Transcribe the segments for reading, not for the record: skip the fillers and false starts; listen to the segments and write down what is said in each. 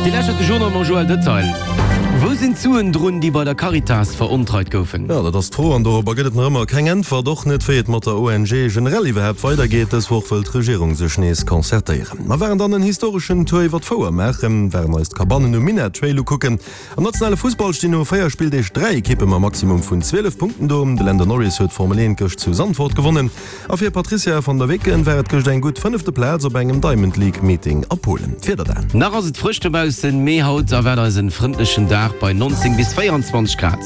Dir lauschtert de Journal mam Joël Detail. Wou sinn d'Suen drun, déi bei der Caritas verontreit goufen? Jo, dat ass d'Fro an dorobber gëtt et nach ëmmer keng Äntwert. Och net, wéi et mat der ONG generell iwwerhaapt weidergeet. Dës Woch wëll d'Regierung sech nees concertéieren. Mer waren dann en historeschen Tour iwwer d'Fouer maachen, waren eis d'Kabannen um Minett Trail ukucken. Am nationale Fussball stinn no 4 Spilldeeg 3 Ekippe mam Maximum vun 12 Punkten do. De Lando Norris huet d'Formel 1 gëscht zu Zandvoort gewonnen. A fir Patrizia van der Weken war et gëscht eng gutt fënnefte Plaz op engem Diamond League Meeting a Polen. D'Wieder dan. Nach ass et frësch dobaussen, mee haut erwaart eis en frëndlechen Dag bei 19 bis 24 Grad.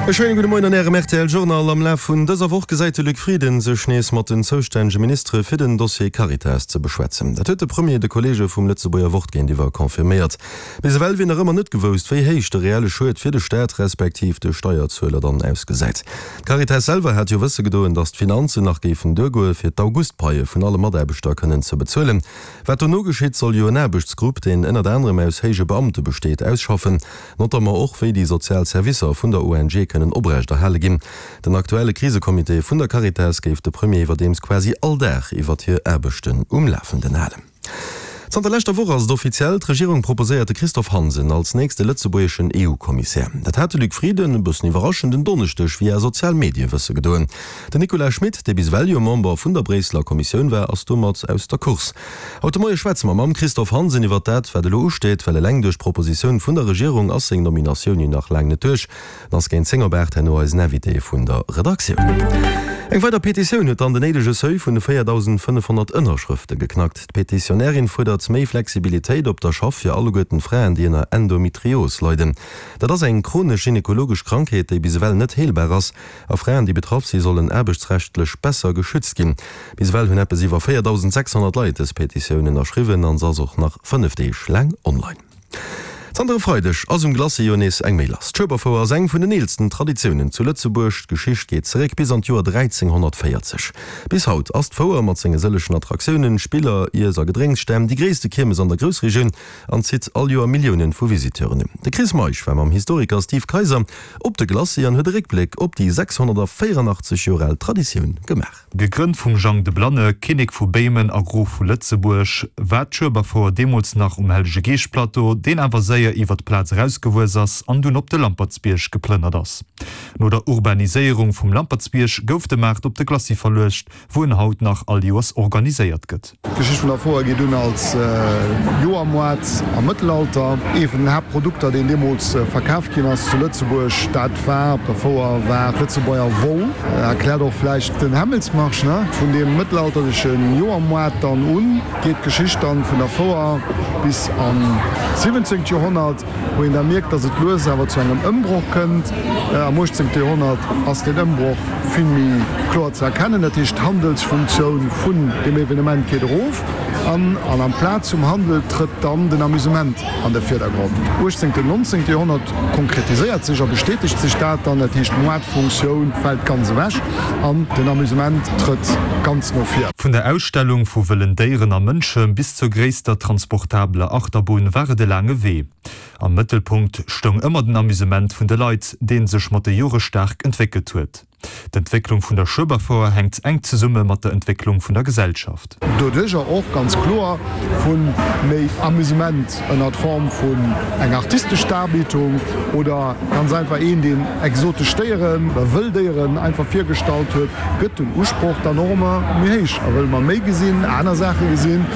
E schéine gudde Moien an Ärem rtl Journal. Am Laf vun dëser Woch gesäit de Luc Frieden sech nees mat den zoustännege Ministere fir den Dossier Caritas ze beschwätzen. Dat huet de Premier de Kolleege vum Lëtzebuerger Wort géintiwwer confirméiert. Bis ewell wier nach ëmmer net gewousst, wéi héich de reelle Schued fir de Staat respektiv de Steierzueler dann ausgesäit. D'Caritas selwer hat jo wësse gedoen, datt d'Finanzen nach géifen duergoe fir d'Augustpaie vun alle Mataarbechter kënnen ze bezuelen. Wat dono geschitt, soll jo en Aarbechtsgrupp, deen ënnert anerem aus héije Beamte besteet, ausschaffen. Notamment och, wéi déi sozial Servicer vun der ONG kënnen oprecht erhale ginn. Den aktuelle Krisecomité vun der Caritas géif de Premier iwwerdeems quasi all Dag iwwert hir Aarbechten um Lafenden halen. Zanter leschter Woch ass et offiziell, D'Regierung proposéiert de Christophe Hansen als nächste lëtzebuergeschen EU-Kommissär. Dat hat de Luc Frieden, e bëssen iwwerraschend, en Donneschdeg via sozial Medie wësse gedoen. Den Nicolas Schmit, dee bis ewell jo Member vun der Bréisseler Kommissioun war, ass domat aus der Course. Haut de Moie schwätze mer mam Christophe Hansen iwwert dat, wat elo usteet, well eleng duerch d'Propositioun vun der Regierung ass seng Nominatioun jo nach laang net duerch. En ass géint 10 op 8 herno eisen Invité vun der Redaktioun. Eng weider Petitioun huet dann den néidege Seuil vun de 4.500 Ënnerschrëfte geknackt. D'Petitionärin fuerdert méi Flexibilitéit op der Schaff fir alleguerten d'Fraen, déi ënner Endometrios leiden. Dat ass eng chronesch gynekologesch Krankheet, déi bis ewell net heelbar ass. A Fraen, déi betraff si sollen aarbechtsrechtlech besser geschützt ginn. Bis ewell hunn eppes iwwer 4.600 Leit dës Petitioun ënnerschriwwen an se ass och nach 5 Deeg laang online. Zanter e Freideg ass um Glacis jo nees eng méi lass. D'Schueberfouer ass eng vun den eelsten Traditiounen zu Lëtzebuerg. D'Geschicht geet zeréck bis an d'Joer 1340. Bis haut ass d'Fouer mat senge sëllechen Attraktiounen, Spiller, Iess a Gedrénksstänn déi gréisste Kiermes an der Groussregioun an zitt all Joer Milliounen vu Visiteuren un. De Chris Meisch war mam Historiker Steve Kayser op de Glacis an huet e Réckbléck op déi 684 Joer al Traditioun gemaach. Gegrënnt vum Jang de Blanne, Kinnek vu Béimen a Grof vu Lëtzebuerg, war d'Schueberfouer deemools nach um Hellege-Geescht-Plateau, deen awer séier iwwer d'Plaz erausgewuess ass an dunn op de Lampertsbierg geplënnert ass. No der Urbaniséierung vum Lampertsbierg gouf de Maart op de Glacis verluecht, wou en haut nach all Joers organiséiert gëtt. D'Geschicht vun der Fouer geet un als Joermoart am Mëttelalter. Ee vun den Haaptprodukter, deen deemools verkaf ginn ass zu Lëtzebuerg, dat war op der Fouer, war d'Lëtzebuerger Woll. Erkläert och vläicht den Hämmelsmarsch, ne? Vun deem mëttelalterleche Joermoart dann un geet d'Geschicht dann vun der Fouer bis an d'siwwenzéngt Joerhonnert. Wou een da mierkt, datt et lues awer zu engem Ëmbroch kënnt. Am 18. Joerhonnert ass deen Ëmbroch vill méi kloer ze erkennen. Dat heescht, d'Handelsfunktioun vun deem Evenement geet erof an an amplaz vum Handel trëtt dann den Amusement an de Virdergrond. 18. 19. Joerhonnert konkretiséiert sech a bestätegt sech dat dann. Dat heescht, d'Moartfunktioun fält ganz ewech an den Amusement trëtt ganz no vir. Vun der Ausstellung vu wëllen Déieren a Mënsche bis zur gréisster transportabeler Achterbunn war et e laange Wee. Am Mëttelpunkt stoung ëmmer den Amusement vun de Leit, dee sech mat de Jore staark entwéckelt huet. D'Entwécklung vun der Schueberfouer hänkt enk zesumme mat der Entwécklung vun der Gesellschaft. Doduercher och ganz kloer vu méi Amusement ënnert Form vun enger artistesch Darbietung oder ganz einfach een, deen exotesch Déieren oder wëll Déieren einfach virgestallt huet, gëtt den Usproch dann och ëmmer méi héich a wëlle mer méi gesinn, aner Saache gesinn.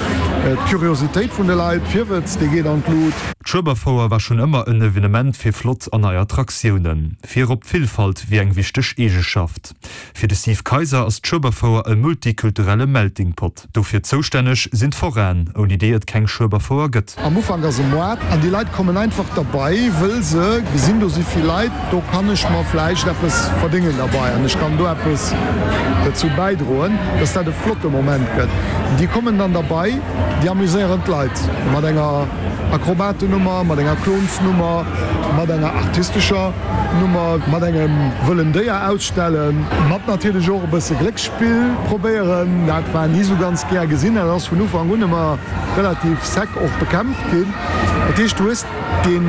D'Curiositéit vun de Leit, d'Virwëtz, dee geet an d'Lut. D'Schueberfouer war schonn ëmmer en Evenement fir flott an nei Attraktiounen. Virop d'Villfalt wier eng wichteg Eegeschaft. Fir de Steve Kayser ass d'Schueberfouer e multikulturelle Melting Pot. Dofir zoustänneg sinn d'Forainen, ouni déi et keng Schueberfouer gëtt. Am Ufank ass e Moart an déi Leit kommen einfach derbei, wëll se gesinn, do si vill Leit, do kann ech mer vläicht eppes verdéngen derbei an ech kann do eppes dozou bäidroen, dass dat e flotte Moment gëtt. Déi kommen dann derbei, déi amuséieren d'Leit mat enger Akrobatennummer, mat enger Klonsnummer, mat enger artistescher Nummer, mat engem wëllen Déier ausstellen, mat natierlech och e bësse Glécksspill probéieren. Dat war ni sou ganz gär gesinn, dat ass vun Ufank un ëmmer relativ sec och bekämpft ginn. Dat heescht, du hues deen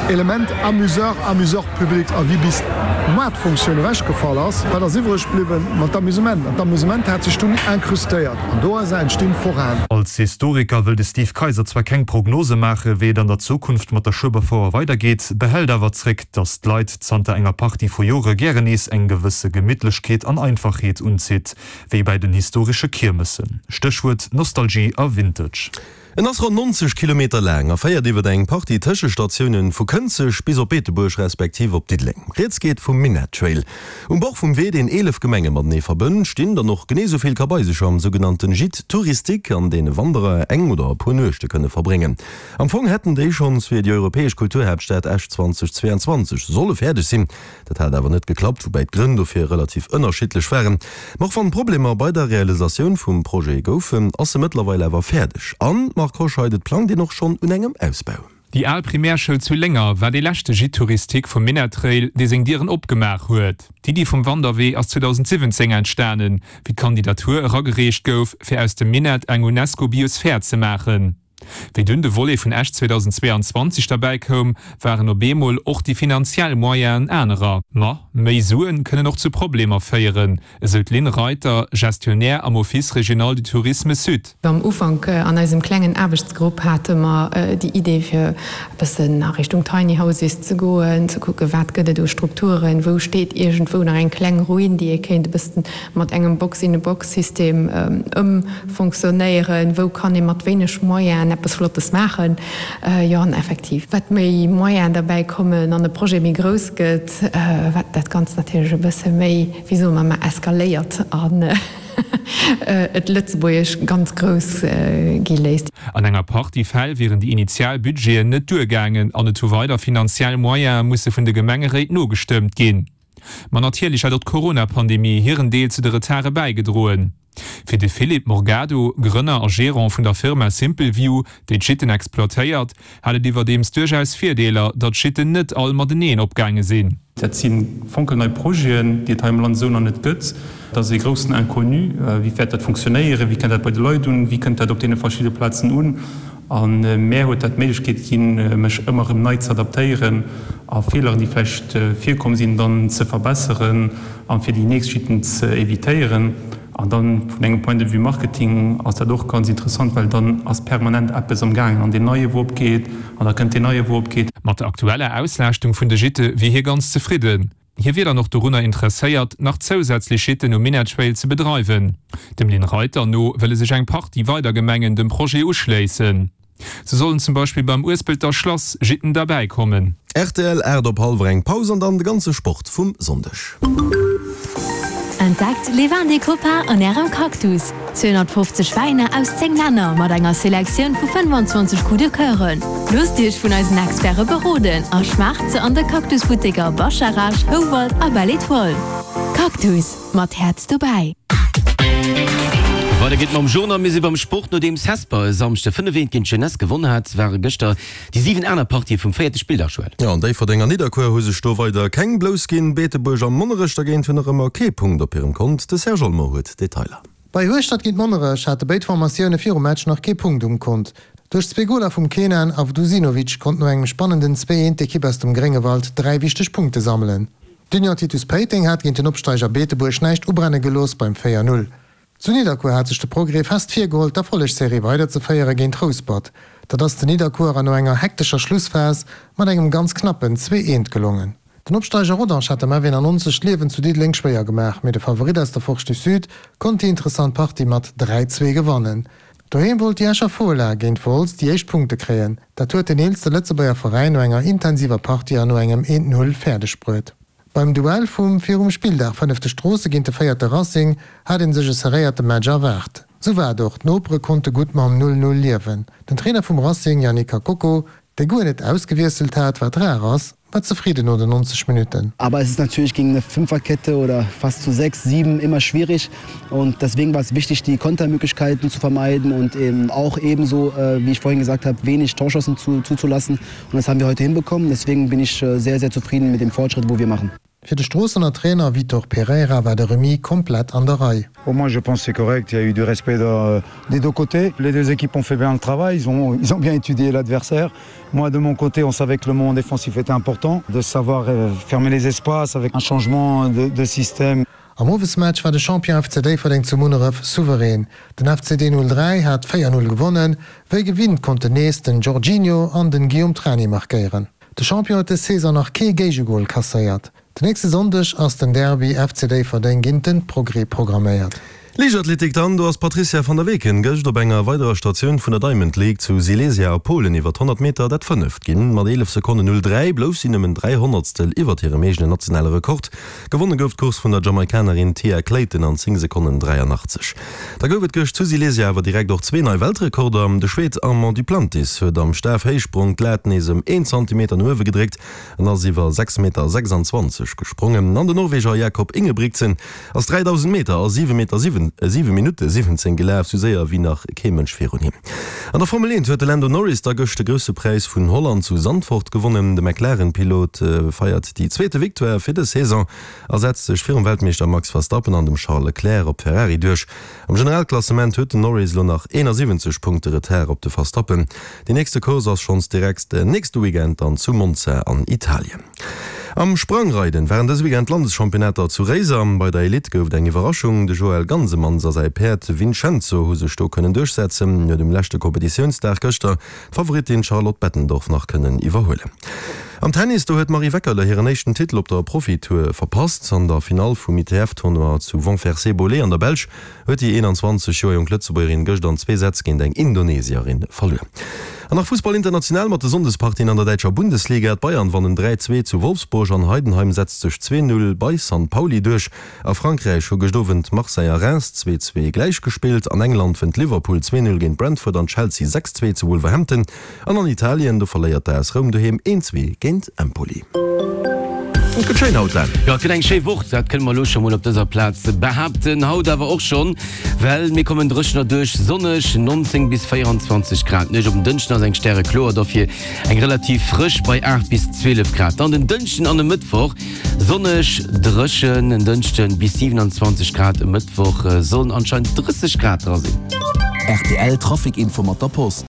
Element Amuseur, Amuseur public. A wéi bis d'Moartfunktioun ewechgefall ass, wat ass iwwreg bliwwen? Ma d'Amusement. An d'Amusement hat sech dunn incrustéiert an doraus entstinn d'Foraen. Als Historiker wëll de Steve Kayser zwar keng Prognose maache wéi et an der Zukunft mat der Schueberfouer weidergeet, behält awer zréck, datt d'Leit zanter enger Partie vu Jore gären nees eng gewësse Gemittlechkeet an Einfachheet unzitt, wéi bäi den historesche Kiermessen. Stéchwuert Nostalgie a Vintage. En ass ronn 90 Kilometer laang a féiert iwwer eng Partie Tëschestatiounen vu Kënzeg bis op Beetebuerg respektiv op Diddeleng. Rieds geet vum Minett Trail. Um Bord vum Wee, deen 11 Gemenge matenee verbënnt, stinn dann och genee esou vill Kabaisecher am sougenannten Gîte touristique, an deene Wanderer eng oder e puer Nuechte kënne verbréngen. Am Fong hätten déi schonns fir déi europäesch Kulturhaaptstad Esch 2022 solle fäerdeg sinn. Dat hat awer net geklappt, woubäi d'Grënn dofir relativ ënnerschiddlech waren. Ma och wann Problemer bei der Realisatioun vum Projet goufen, ass e mëttlerweil awer fäerdeg. An, Marc Hoscheid, et plangt een och schonn un engem Ausbau. Déi al Primärschoul zu Lénger war dee leschte Gîte touristique vum Minettrail, dee seng Dieren opgemaach huet. D'Iddi vum Wanderwee ass 2017 entstanen, wéi d'Kandidatur eragereecht gouf, fir aus dem Minett eng UNESCO-Biosphär ze maachen. Wéi dunn de Volet vun Esch 2022 derbäi koum, waren op eemol och déi finanziell Moyenen anerer. Ma méi Suen kënnen och zu Problemer féieren, esou d'Lynn Reiter, Gestionnaire am Office régional du tourisme Sud. Am Ufank an eisem klengen Aarbechtsgrupp hate mer déi Idee fir e bëssen a Richtung Tiny Houses ze goen, ze kucken, wat gëtt et u Strukturen, wou steet iergendwou nach eng kleng Ruin, déi ee kéint e bëssen mat engem Box-in-a-Box-System ëmfonctionnéieren, wou kann ee mat wéineg Moyenen eppes Flottes maachen. Jo, an effektiv, wat méi Moyenen derbäi kommen an e Projet méi grouss gëtt, wat dat Ganzt natierlech e bësse méi, wéi soe mer, eskaléiert an et Lëtzebuergesch ganz grouss gi léisst. An enger Partie Fäll wieren déi initial Budgeten net duergaangen an et hu weider finanziell Moyene musse vun de Gemengeréit nogestëmmt ginn. Ma natierlech hätt och d'Corona-Pandemie hiren Deel zu de Retarde bäigedroen. Fir de Philippe Morgado, Grënner a Gerant vun der Firma Simple View, déi d'Gitten exploitéiert, hat et iwwerdeems duerchaus Virdeeler, datt d'Gitten net all mateneen opgaange sinn. Dat si fonkelnei Projeten, déi et hei am Land esou nach net gëtt. Dat ass ee groussen Inconnu. Wéi wäert dat funktionéieren? Wéi kënnt dat bei de Leit un? Wéi kënnt dat op deene verschidde Plazen un? A mär huet dat d'Méiglechkeet ginn, mech ëmmer erëm nei ze adaptéieren a Feeleren, déi vläicht virkomm sinn, dann ze verbesseren a fir déi nächst Chitten ze evitéieren. An dann vun engem Point de vue Marketing ass dat och ganz interessant, well dann ass permanent eppes am gaangen an deen neie wou opgeet an da kënnt deen neie wou opgeet. Mat der aktueller Auslaaschtung vun de Gîte wier hie ganz zefridden. Hie wier dann och dorunner interesséiert, nach zousätzlech Gîten um Minett-Trail ze bedreiwen. Dem Lynn Reiter no wëlle sech eng Partie weider Gemengen dem Projet uschléissen. Sou sollen zum Beispill beim Uespelter Schlass Gîten derbäi kommen. Rtl, 8 op hallwer eng Paus an dann de ganze Sport vum Sonndeg. Entdeckt Les Vins des Copains an Ärem Cactus! 250 Wäiner aus 10 Länner mat enger Selektioun vu 25 Coup de Coeuren. Loosst Iech vun eisen Experte beroden a schmaacht se an de Cactus-Butteker Bascharage, Houwald a Belle Etoile. Cactus, mat Häerz dobäi! Weider geet mam Journal. Mir si beim Sport. Nodeems Hesper e Samschde 5, 1 géint d'Jeunesse gewonn hat, ware gëschter déi 7 aner Partië vum véierte Spilldag, Joël. Jo, an Déifferdeng an Nidderkuer hu sech do weider keng Blouss ginn. Beetebuerg a Monnerech dergéint hunn nach ëmmer kee Punkt op hirem Kont. De Serge Olmo huet d'Detailer. Bei Hueschtert géint Monnerech hate béid Formatioune virum Match nach kee Punkt um Kont. Duerch zwee Goler vum Kenan Avdusinovic konnt no engem spannenden 2, 1 d'Ekipp aus dem Gréngewald 3 wichteg Punkte sammelen. D'Union Titus Péiteng hat géint den Opsteiger Beetebuerg näischt ubrenne gelooss beim 4, 0. Zu Nidderkuer hat sech de Progrès fest virgeholl d'Erfollegsserie weiderzeféiere géint Rouspert. Dat ass den Nidderkuerer no enger hektescher Schlussphas mat engem ganz knappen 2, 1 gelongen. Den Opsteiger Rodange hat dem F91 d'Liewen zu Diddeleng schwéier gemaach, mee de Favorit aus der Forge du Sud konnt déi interessant Partie mat 3, 2 gewannen. Doheem wollt déi Escher Fola géint Wolz déi éischt Punkte kréien. Dat huet den eelste Lëtzebuerger Veräin no enger intensiver Partie an no engem 1, 0 fäerdeg bruet. Beim Duell vum virum Spilldag fënnefte Stroosse géint de véierte Racing hat ee sech e serréierte Match erwaart. Sou war et och, d'Nopere konnte gutt mam 0, 0 liewen. Den Trainer vum Racing Yannick Kakoko Dee guer net ausgewiesselt hat, wat rar ass, war zefridden no den 90 Minutten. Aber es ist natürlich gegen eine Fünferkette oder fast zu sechs, sieben immer schwierig und deswegen war es wichtig, die Kontermöglichkeiten zu vermeiden und eben auch ebenso, wie ich vorhin gesagt habe, wenig Torschancen zu, zuzulassen. Und das haben wir heute hinbekommen. Deswegen bin ich sehr, sehr zufrieden mit dem Fortschritt, wo wir machen. Fir de Stroossener Trainer Vitor Pereira war de Remis komplett an der Rei. Pour moi je pense c'est correct, il y a eu du respect de, des deux côtés. Les deux équipes ont fait bien le travail, ils ont, ils ont bien étudié l'adversaire. Moi de mon côté, on savait que le moment défensif était important, de savoir euh, fermer les espaces avec un changement de, de système. Am Owesmatch war de Champion FC Déifferdeng zu Munneref souverän. Den FC D03 hat 4, 0 gewonnen. Wéi gewinnt konnten nees den Jorginho an den Guillaume Trani markéieren. De Champion huet dës Saison nach kee Géigegol kasséiert. Den nächste Sonndeg ass den Derby FC Déifferdeng géint den Progrès programméiert. Liichtathletik dann, do ass d'Patrizia van der Weken gëscht op enger weiderer Statioun vun der Diamond League zu Silesia a Polen iwwer 100 Meter dat fënneft ginn. Mat 11 Sekonnen 03 blouf si nëmmen 3 Honnertstel iwwert hirem eegenen nationale Rekord. Gewonne gouf d'Course vun der Jamaikanerin Tia Clayton an 10 Sekonnen 83. Da gouf et gëscht zu Silesia awer direkt och zwee nei Weltrekorder. De Schwed Armand Duplantis huet am Stafhéichsprong d'Lat nees ëm een Zantimeter no uewe gedréckt an ass iwwer 6 Meter 26 gesprongen. An den Norweger Jakob Ingebrigtsen ass 3000 Meter a 7 Meter 7 7 Minutte 17 gelaf, sou séier wéi nach kee Mënsch virun him. An der Formel 1 huet de Lando Norris da gëscht de Grousse Präis vun Holland zu Zandvoort gewonnen. De McLaren-Pilot feiert déi zweete Victoire fir dës Saison a setzt sech virum Weltmeeschter Max Verstappen an dem Charles Leclerc op Ferrari duerch. Am Generalklassement huet den Norris elo nach 71 Punkte Retard op de Verstappen. Déi nächste Course ass schonns direkt nächste Weekend dann zu Monza an Italien. Am Sprangreiden waren dëse Weekend d'Landeschampionnater zu Réiser. Bei der Elite gouf et eng Iwwerraschung, De Joël Gansemanns a säi Päerd Vincenzo hu sech do kënnen duerchsetzen. Huet um leschte Kompetitiounsdag gëschter d'Favoritin Charlotte Bettendorf nach kënnen iwwerhuelen. Am Tennis, do huet d'Marie Weckerle hiren éischten Titel op der Profitour verpasst. An der Finall vum ITF-Tournoi zu Wonfersé-Bolé an der Belsch huet déi 21 Joer jonk Lëtzebuergerin gëscht an zwee Sätz géint eng Indonesierin verluer. An nach Fussball international mat de Sonndespartien an der däitscher Bundesliga. D'Bayern wannen 3, 2 zu Wolfsburg an Heidenheim setzt sech 2, 0 bei San Pauli duerch. A Frankräich hu gëscht Owend Marseille a Reims 2, 2 gläich gespillt. An England wënnt Liverpool 2, 0 géint Brentford an Chelsea 6, 2 zu Wolverhampton. An an Italien, do verléiert d'AS Roum doheem 1, 2 géint Empoli. Et gëtt schéin haut, Len. Jo, et gëtt eng schéi Woch, dat kënne mer elo scho mol op dëser Plaz behaapten. Haut awer och schonn, well mir kommen dréchener duerch, sonneg, 19 bis 24 Grad. D'Nuecht op den Dënschden ass eng Stärekloer, dofir eng relativ frësch bei 8 bis 12 Grad. Dann den Dënschden an e Mëttwoch Sonneg, dréchen en Dënschden, bis 27 Grad, e Mëttwoch sollen anscheinend 30 Grad dra sinn. Rtl Trafic Info mat der Post.